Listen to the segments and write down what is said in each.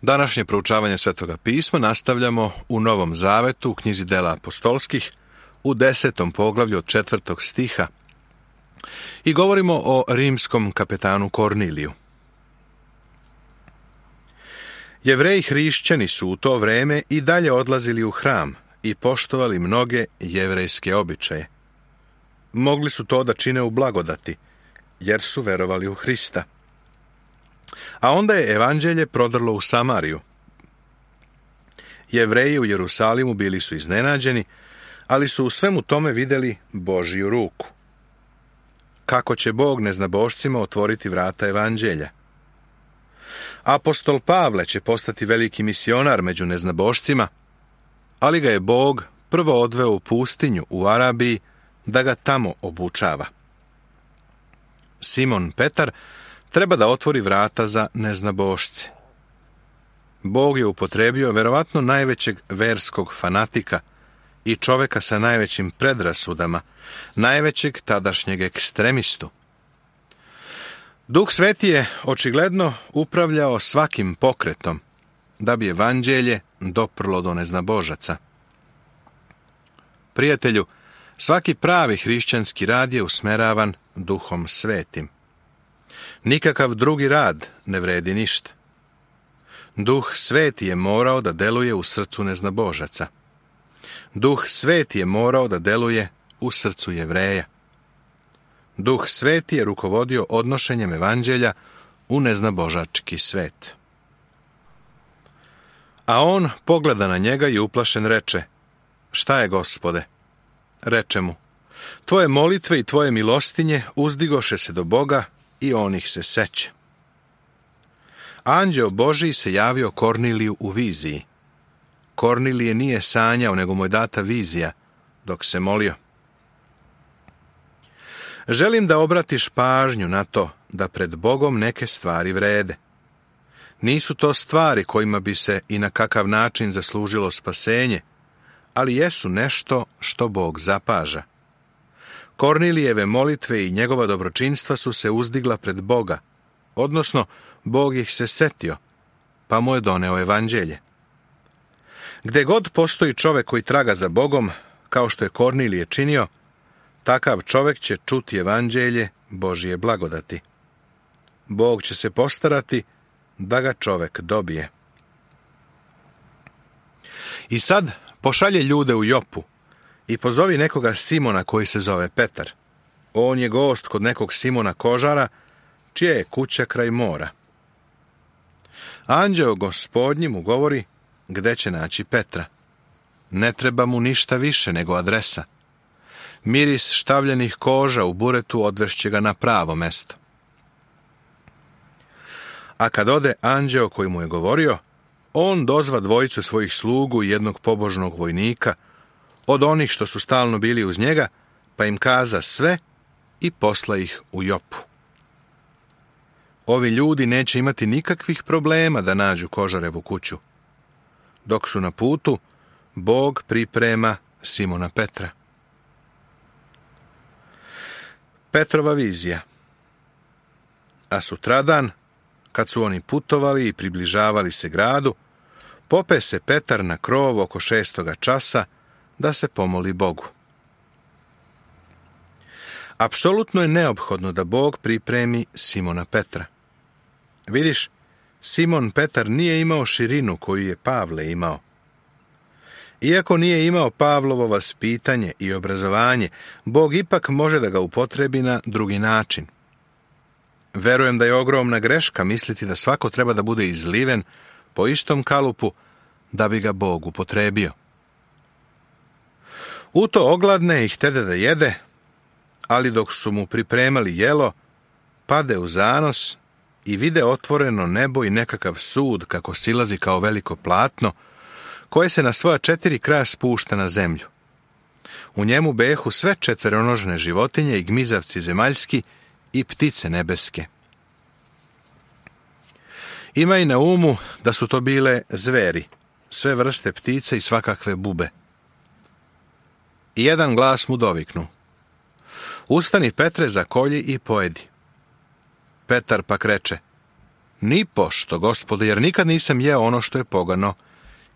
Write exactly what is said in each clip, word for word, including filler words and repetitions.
Današnje proučavanje Svetoga pisma nastavljamo u Novom Zavetu, u knjizi Dela apostolskih, u desetom poglavlju od četvrtog stiha i govorimo o rimskom kapetanu Korniliju. Jevreji hrišćani su u to vreme i dalje odlazili u hram i poštovali mnoge jevrejske običaje. Mogli su to da čine u blagodati, jer su verovali u Hrista. A onda je evanđelje prodrlo u Samariju. Jevreji u Jerusalimu bili su iznenađeni, ali su u svemu tome vidjeli Božju ruku. Kako će Bog neznabošcima otvoriti vrata evanđelja? Apostol Pavle će postati veliki misionar među neznabošcima, ali ga je Bog prvo odveo u pustinju u Arabiji da ga tamo obučava. Simon Petar treba da otvori vrata za neznabošce. Bog je upotrebio verovatno najvećeg verskog fanatika i čoveka sa najvećim predrasudama, najvećeg tadašnjeg ekstremistu. Duh Sveti je očigledno upravljao svakim pokretom da bi evanđelje doprlo do neznabožaca. Prijatelju, svaki pravi hrišćanski rad je usmeravan Duhom Svetim. Nikakav drugi rad ne vredi ništa. Duh Sveti je morao da deluje u srcu neznabožaca. Duh Sveti je morao da deluje u srcu Jevreja. Duh Sveti je rukovodio odnošenjem evanđelja u neznabožački svet. A on pogleda na njega i uplašen reče: "Šta je, Gospode?" Reče mu: "Tvoje molitve i tvoje milostinje uzdigoše se do Boga i on ih se seće." Anđeo Božiji se javio Korniliju u viziji. Kornilije nije sanjao, nego mu je data vizija dok se molio. Želim da obratiš pažnju na to da pred Bogom neke stvari vrede. Nisu to stvari kojima bi se i na kakav način zaslužilo spasenje, ali jesu nešto što Bog zapaža. Kornilijeve molitve i njegova dobročinstva su se uzdigla pred Boga, odnosno Bog ih se setio, pa mu je doneo evanđelje. Gde god postoji čovek koji traga za Bogom, kao što je Kornilije činio, takav čovek će čuti evanđelje Božije blagodati. Bog će se postarati da ga čovek dobije. I sad pošalje ljude u Jopu i pozovi nekoga Simona koji se zove Petar. On je gost kod nekog Simona Kožara, čija je kuća kraj mora. Anđeo Gospodnji mu govori gde će naći Petra. Ne treba mu ništa više nego adresa. Miris štavljenih koža u buretu odvešće ga na pravo mesto. A kad ode anđeo koji mu je govorio, on dozva dvojicu svojih slugu i jednog pobožnog vojnika, od onih što su stalno bili uz njega, pa im kaza sve i posla ih u Jopu. Ovi ljudi neće imati nikakvih problema da nađu Kožarevu kuću. Dok su na putu, Bog priprema Simona Petra. Petrova vizija. A sutradan, kad su oni putovali i približavali se gradu, pope se Petar na krov oko šestoga časa da se pomoli Bogu. Apsolutno je neophodno da Bog pripremi Simona Petra. Vidiš, Simon Petar nije imao širinu koju je Pavle imao. Iako nije imao Pavlovo vaspitanje i obrazovanje, Bog ipak može da ga upotrebi na drugi način. Verujem da je ogromna greška misliti da svako treba da bude izliven po istom kalupu da bi ga Bog upotrebio. U to ogladne i htede da jede, ali dok su mu pripremali jelo, pade u zanos i vide otvoreno nebo i nekakav sud kako silazi kao veliko platno, koje se na svoja četiri kraja spušta na zemlju. U njemu behu sve četveronožne životinje i gmizavci zemaljski i ptice nebeske. Ima i na umu da su to bile zveri, sve vrste ptice i svakakve bube. I jedan glas mu doviknu: "Ustani, Petre, zakolji i pojedi." Petar pak reče: Ni pošto, Gospode, jer nikad nisam jeo ono što je pogano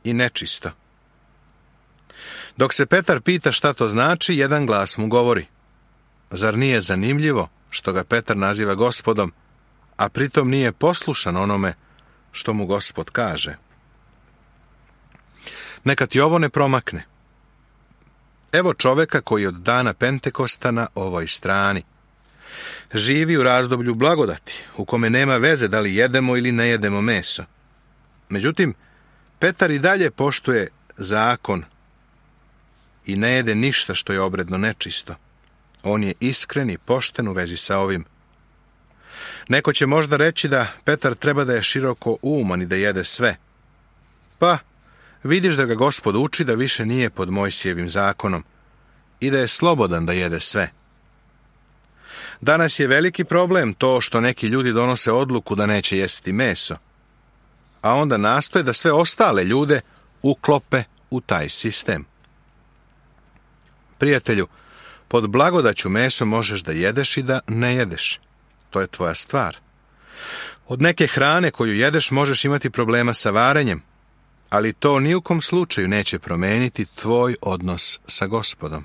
i nečisto. Dok se Petar pita šta to znači, jedan glas mu govori: Zar nije zanimljivo što ga Petar naziva Gospodom, a pritom nije poslušan onome što mu Gospod kaže? Neka ti ovo ne promakne. Evo čoveka koji od dana Pentekosta na ovoj strani živi u razdoblju blagodati, u kome nema veze da li jedemo ili ne jedemo meso. Međutim, Petar i dalje poštuje zakon i ne jede ništa što je obredno nečisto. On je iskren i pošten u vezi sa ovim. Neko će možda reći da Petar treba da je široko uman i da jede sve. Pa, vidiš da ga Gospod uči da više nije pod Mojsijevim zakonom i da je slobodan da jede sve. Danas je veliki problem to što neki ljudi donose odluku da neće jesti meso, a onda nastoje da sve ostale ljude uklope u taj sistem. Prijatelju, pod blagodaću meso možeš da jedeš i da ne jedeš. To je tvoja stvar. Od neke hrane koju jedeš možeš imati problema sa varenjem, ali to ni u kom slučaju neće promeniti tvoj odnos sa Gospodom.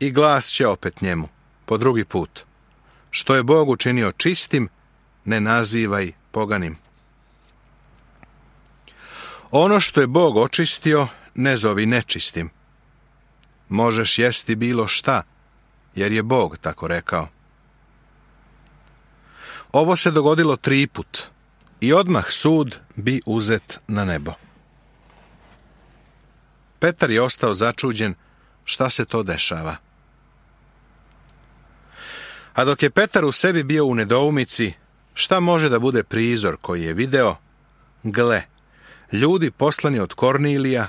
I glas će opet njemu, po drugi put: Što je Bog učinio čistim, ne nazivaj poganim. Ono što je Bog očistio, ne zovi nečistim. Možeš jesti bilo šta, jer je Bog tako rekao. Ovo se dogodilo tri put i odmah sud bi uzet na nebo. Petar je ostao začuđen šta se to dešava. A dok je Petar u sebi bio u nedoumici šta može da bude prizor koji je video, gle, ljudi poslani od Kornilija,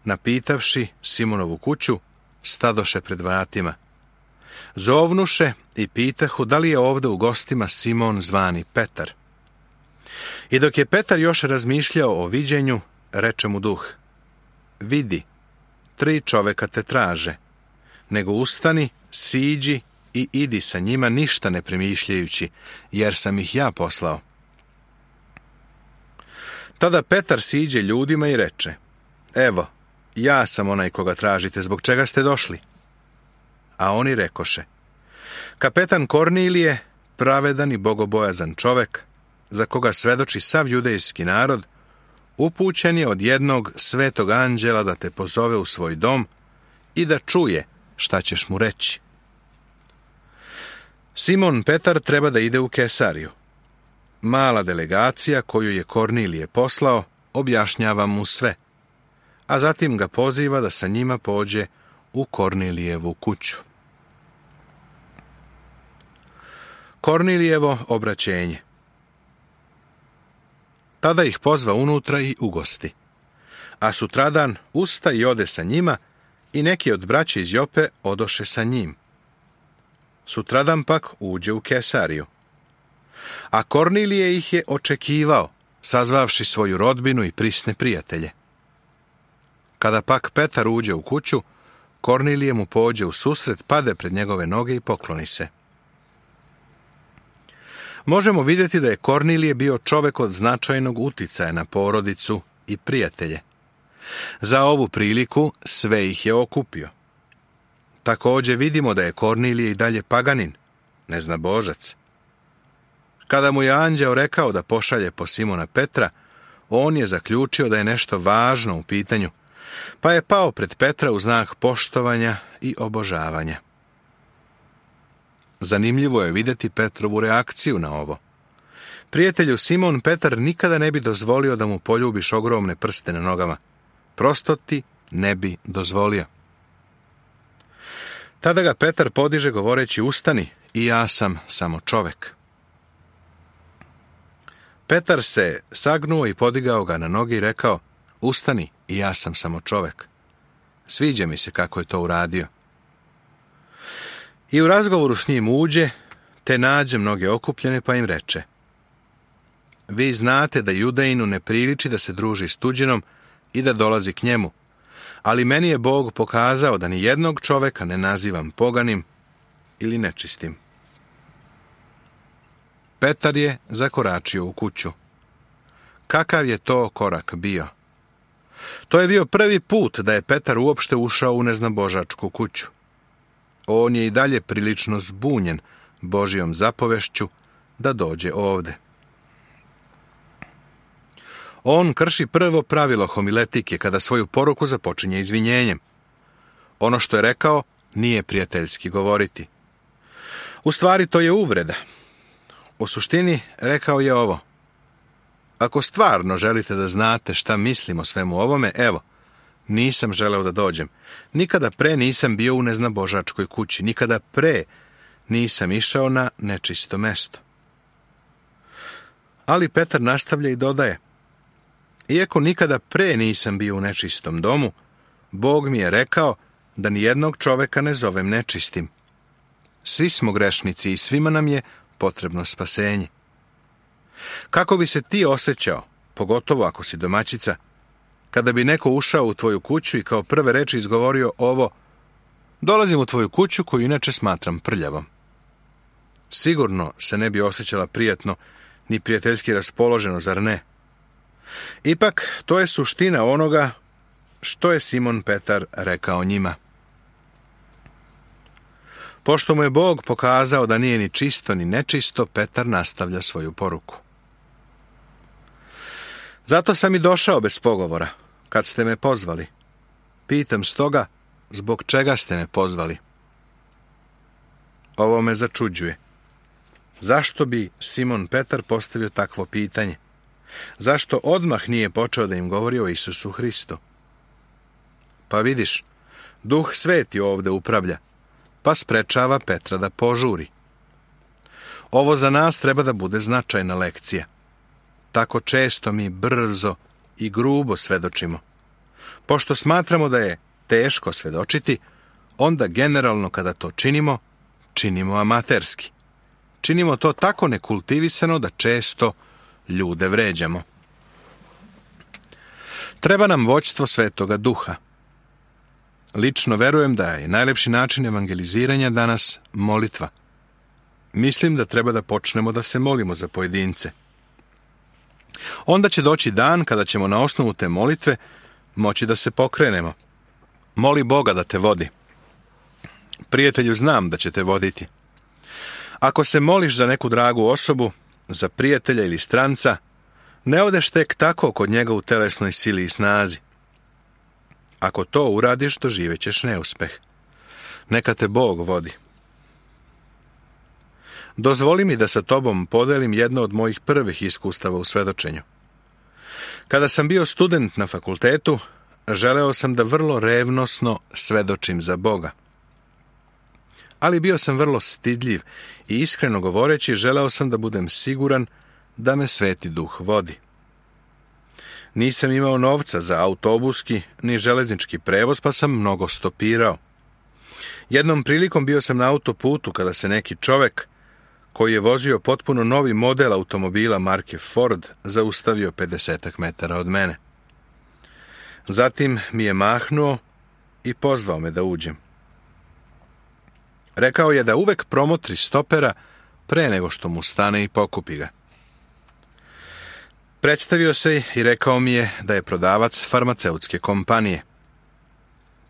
napitavši Simonovu kuću, stadoše pred vratima. Zovnuše i pitahu da li je ovde u gostima Simon zvani Petar. I dok je Petar još razmišljao o viđenju, reče mu duh: Vidi, tri čoveka te traže, nego ustani, siđi i idi sa njima ništa ne premišljajući, jer sam ih ja poslao. Tada Petar siđe ljudima i reče: Evo, ja sam onaj koga tražite, zbog čega ste došli? A oni rekoše: Kapetan Kornilije, pravedan i bogobojazan čovek, za koga svedoči sav judejski narod, upućen je od jednog svetog anđela da te pozove u svoj dom i da čuje šta ćeš mu reći. Simon Petar treba da ide u Kesariju. Mala delegacija koju je Kornilije poslao objašnjava mu sve, a zatim ga poziva da sa njima pođe u Kornilijevu kuću. Kornilijevo obraćenje. Tada ih pozva unutra i ugosti, a sutradan usta i ode sa njima i neki od braće iz Jope odoše sa njim. Sutradan pak uđe u Kesariju. A Kornilije ih je očekivao, sazvavši svoju rodbinu i prisne prijatelje. Kada pak Petar uđe u kuću, Kornilije mu pođe u susret, pade pred njegove noge i pokloni se. Možemo vidjeti da je Kornilije bio čovek od značajnog uticaja na porodicu i prijatelje. Za ovu priliku sve ih je okupio. Također vidimo da je Kornilije i dalje paganin, neznabožac. Kada mu je anđeo rekao da pošalje po Simona Petra, on je zaključio da je nešto važno u pitanju, pa je pao pred Petra u znak poštovanja i obožavanja. Zanimljivo je vidjeti Petrovu reakciju na ovo. Prijatelju, Simon Petar nikada ne bi dozvolio da mu poljubiš ogromne prste na nogama. Prosto ti ne bi dozvolio. Tada ga Petar podiže govoreći: Ustani, i ja sam samo čovek. Petar se sagnuo i podigao ga na noge i rekao: Ustani, i ja sam samo čovek. Sviđa mi se kako je to uradio. I u razgovoru s njim uđe, te nađe mnoge okupljene, pa im reče: Vi znate da Judejinu ne priliči da se druži s tuđinom i da dolazi k njemu, ali meni je Bog pokazao da ni jednog čoveka ne nazivam poganim ili nečistim. Petar je zakoračio u kuću. Kakav je to korak bio? To je bio prvi put da je Petar uopšte ušao u neznabožačku kuću. On je i dalje prilično zbunjen Božjom zapovešću da dođe ovde. On krši prvo pravilo homiletike kada svoju poruku započinje izvinjenjem. Ono što je rekao nije prijateljski govoriti. U stvari to je uvreda. U suštini rekao je ovo: ako stvarno želite da znate šta mislim o svemu ovome, evo, nisam želeo da dođem. Nikada pre nisam bio u neznabožačkoj kući. Nikada pre nisam išao na nečisto mesto. Ali Petar nastavlja i dodaje: iako nikada pre nisam bio u nečistom domu, Bog mi je rekao da nijednog čoveka ne zovem nečistim. Svi smo grešnici i svima nam je potrebno spasenje. Kako bi se ti osjećao, pogotovo ako si domaćica, kada bi neko ušao u tvoju kuću i kao prve reči izgovorio ovo: dolazim u tvoju kuću koju inače smatram prljavom? Sigurno se ne bi osjećala prijatno ni prijateljski raspoloženo, zar ne? Ipak, to je suština onoga što je Simon Petar rekao njima. Pošto mu je Bog pokazao da nije ni čisto ni nečisto, Petar nastavlja svoju poruku. Zato sam i došao bez pogovora, kad ste me pozvali. Pitam stoga, zbog čega ste me pozvali? Ovo me začuđuje. Zašto bi Simon Petar postavio takvo pitanje? Zašto odmah nije počeo da im govori o Isusu Hristu? Pa vidiš, Duh Sveti ovde upravlja, pa sprečava Petra da požuri. Ovo za nas treba da bude značajna lekcija. Tako često mi brzo i grubo svedočimo. Pošto smatramo da je teško svedočiti, onda generalno kada to činimo, činimo amaterski. Činimo to tako nekultivisano da često ljude vređamo. Treba nam vođstvo Svetoga Duha. Lično verujem da je najlepši način evangeliziranja danas molitva. Mislim da treba da počnemo da se molimo za pojedince. Onda će doći dan kada ćemo na osnovu te molitve moći da se pokrenemo. Moli Boga da te vodi. Prijatelju, znam da će te voditi. Ako se moliš za neku dragu osobu, za prijatelja ili stranca, ne odeš tek tako kod njega u telesnoj sili i snazi. Ako to uradiš, doživećeš neuspeh. Neka te Bog vodi. Dozvoli mi da sa tobom podelim jedno od mojih prvih iskustava u svedočenju. Kada sam bio student na fakultetu, želeo sam da vrlo revnosno svedočim za Boga. Ali bio sam vrlo stidljiv i iskreno govoreći želeo sam da budem siguran da me Sveti Duh vodi. Nisam imao novca za autobuski ni železnički prevoz, pa sam mnogo stopirao. Jednom prilikom bio sam na autoputu kada se neki čovek, koji je vozio potpuno novi model automobila marke Ford, zaustavio pedesetak metara od mene. Zatim mi je mahnuo i pozvao me da uđem. Rekao je da uvek promotri stopera pre nego što mu stane i pokupi ga. Predstavio se i rekao mi je da je prodavac farmaceutske kompanije.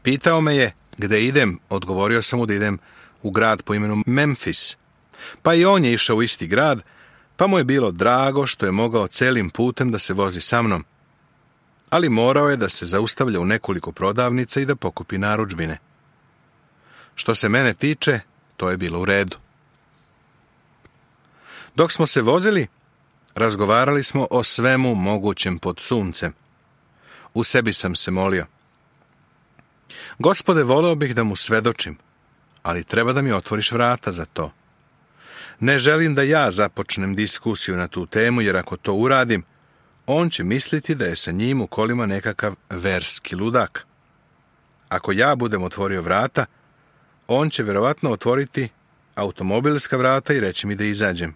Pitao me je gde idem, odgovorio sam mu da idem u grad po imenu Memphis. Pa i on je išao u isti grad, pa mu je bilo drago što je mogao celim putem da se vozi sa mnom. Ali morao je da se zaustavlja u nekoliko prodavnica i da pokupi narudžbine. Što se mene tiče, to je bilo u redu. Dok smo se vozili, razgovarali smo o svemu mogućem pod suncem. U sebi sam se molio: Gospode, voleo bih da mu svedočim, ali treba da mi otvoriš vrata za to. Ne želim da ja započnem diskusiju na tu temu, jer ako to uradim, on će misliti da je sa njim u kolima nekakav verski ludak. Ako ja budem otvorio vrata, on će verovatno otvoriti automobilska vrata i reći mi da izađem.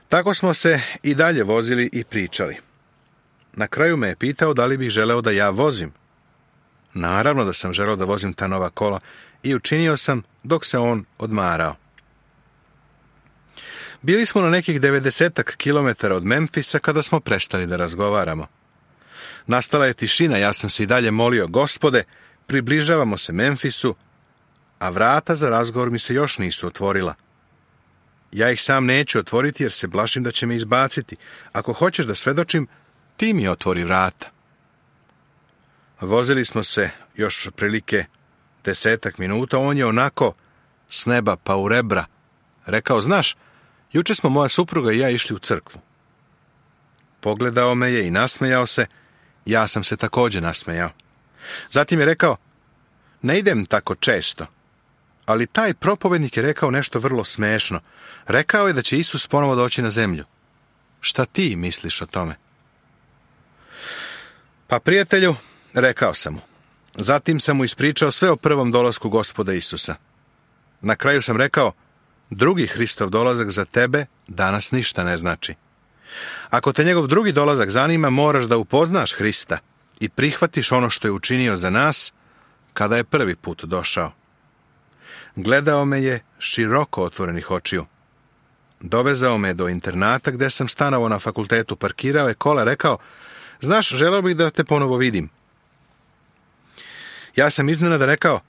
Tako smo se i dalje vozili i pričali. Na kraju me je pitao da li bih želeo da ja vozim. Naravno da sam želeo da vozim ta nova kola i učinio sam dok se on odmarao. Bili smo na nekih devedesetak kilometara od Memfisa kada smo prestali da razgovaramo. Nastala je tišina, ja sam se i dalje molio: Gospode, približavamo se Memfisu, a vrata za razgovor mi se još nisu otvorila. Ja ih sam neću otvoriti jer se plašim da će me izbaciti. Ako hoćeš da svedočim, ti mi otvori vrata. Vozili smo se još otprilike desetak minuta, on je onako s neba pa u rebra rekao: znaš, juče smo moja supruga i ja išli u crkvu. Pogledao me je i nasmejao se, ja sam se također nasmejao. Zatim je rekao: ne idem tako često, ali taj propovednik je rekao nešto vrlo smešno. Rekao je da će Isus ponovo doći na zemlju. Šta ti misliš o tome? Pa, prijatelju, rekao sam mu. Zatim sam mu ispričao sve o prvom dolasku Gospoda Isusa. Na kraju sam rekao: drugi Hristov dolazak za tebe danas ništa ne znači. Ako te njegov drugi dolazak zanima, moraš da upoznaš Hrista i prihvatiš ono što je učinio za nas kada je prvi put došao. Gledao me je široko otvorenih očiju. Dovezao me do internata gde sam stanovao na fakultetu, parkirao je kola, rekao: znaš, želeo bih da te ponovo vidim. Ja sam iznenada rekao: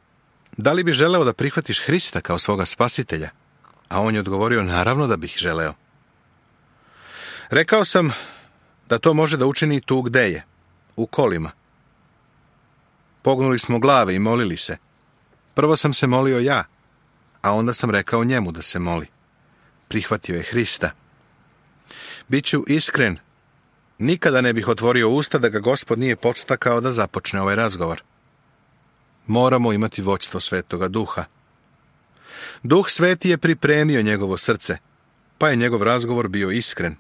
da li bi želeo da prihvatiš Hrista kao svoga spasitelja? A on je odgovorio: naravno da bih želeo. Rekao sam da to može da učini tu gde je, u kolima. Pognuli smo glave i molili se. Prvo sam se molio ja, a onda sam rekao njemu da se moli. Prihvatio je Hrista. Biću iskren, nikada ne bih otvorio usta da ga Gospod nije podstakao da započne ovaj razgovor. Moramo imati vođstvo Svetoga Duha. Duh Sveti je pripremio njegovo srce, pa je njegov razgovor bio iskren.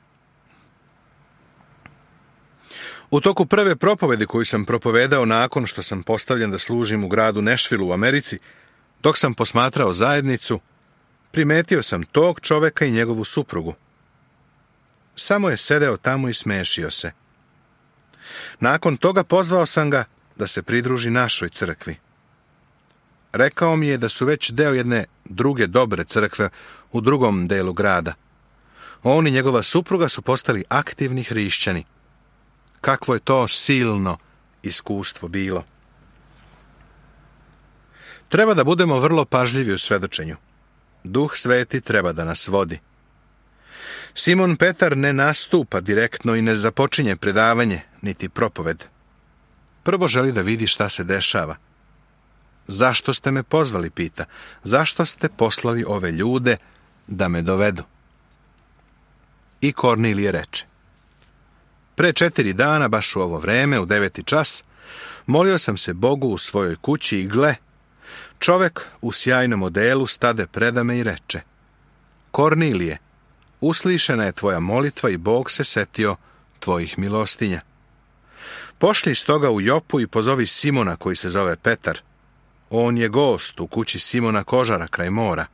U toku prve propovedi koju sam propovedao nakon što sam postavljen da služim u gradu Nashville u Americi, dok sam posmatrao zajednicu, primetio sam tog čoveka i njegovu suprugu. Samo je sedeo tamo i smešio se. Nakon toga pozvao sam ga da se pridruži našoj crkvi. Rekao mi je da su već deo jedne druge dobre crkve u drugom delu grada. On i njegova supruga su postali aktivni hrišćani. Kakvo je to silno iskustvo bilo. Treba da budemo vrlo pažljivi u svedočenju. Duh Sveti treba da nas vodi. Simon Petar ne nastupa direktno i ne započinje predavanje, niti propoved. Prvo želi da vidi šta se dešava. Zašto ste me pozvali, pita. Zašto ste poslali ove ljude da me dovedu? I Kornilije reče: pre četiri dana, baš u ovo vreme, u deveti čas, molio sam se Bogu u svojoj kući i gle, čovek u sjajnom odelu stade predame i reče: Kornilije, uslišena je tvoja molitva i Bog se setio tvojih milostinja. Pošli stoga u Jopu i pozovi Simona koji se zove Petar. On je gost u kući Simona Kožara kraj mora.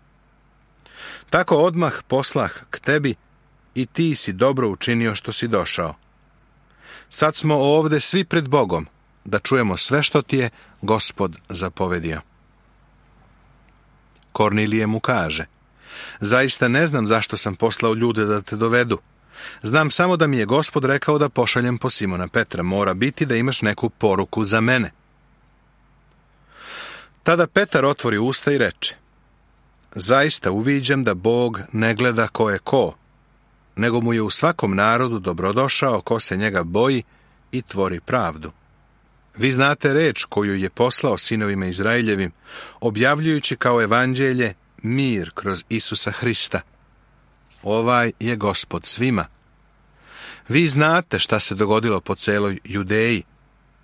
Tako odmah poslah k tebi i ti si dobro učinio što si došao. Sad smo ovde svi pred Bogom da čujemo sve što ti je Gospod zapovedio. Kornilije mu kaže: zaista ne znam zašto sam poslao ljude da te dovedu. Znam samo da mi je Gospod rekao da pošaljem po Simona Petra. Mora biti da imaš neku poruku za mene. Tada Petar otvori usta i reče: zaista uviđam da Bog ne gleda ko je ko, nego mu je u svakom narodu dobrodošao ko se njega boji i tvori pravdu. Vi znate reč koju je poslao sinovima Izraeljevim, objavljujući kao evanđelje mir kroz Isusa Hrista. Ovaj je Gospod svima. Vi znate šta se dogodilo po celoj Judeji,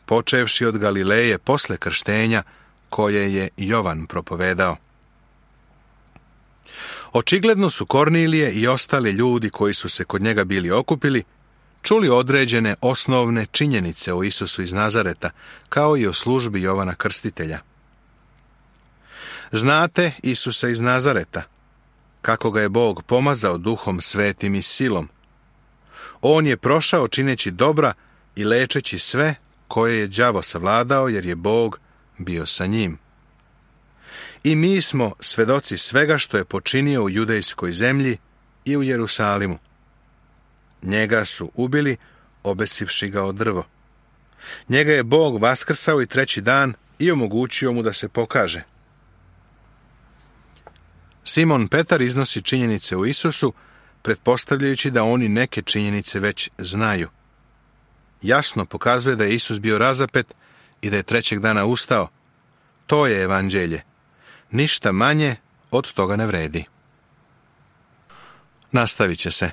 počevši od Galileje posle krštenja koje je Jovan propovedao. Očigledno su Kornilije i ostali ljudi koji su se kod njega bili okupili čuli određene osnovne činjenice o Isusu iz Nazareta, kao i o službi Jovana Krstitelja. Znate Isusa iz Nazareta, kako ga je Bog pomazao Duhom Svetim i silom. On je prošao čineći dobra i lečeći sve koje je đavo savladao, jer je Bog bio sa njim. I mi smo svedoci svega što je počinio u judejskoj zemlji i u Jerusalimu. Njega su ubili, obesivši ga o drvo. Njega je Bog vaskrsao i treći dan i omogućio mu da se pokaže. Simon Petar iznosi činjenice o Isusu, pretpostavljajući da oni neke činjenice već znaju. Jasno pokazuje da je Isus bio razapet i da je trećeg dana ustao. To je evanđelje. Ništa manje od toga ne vredi. Nastavit će se.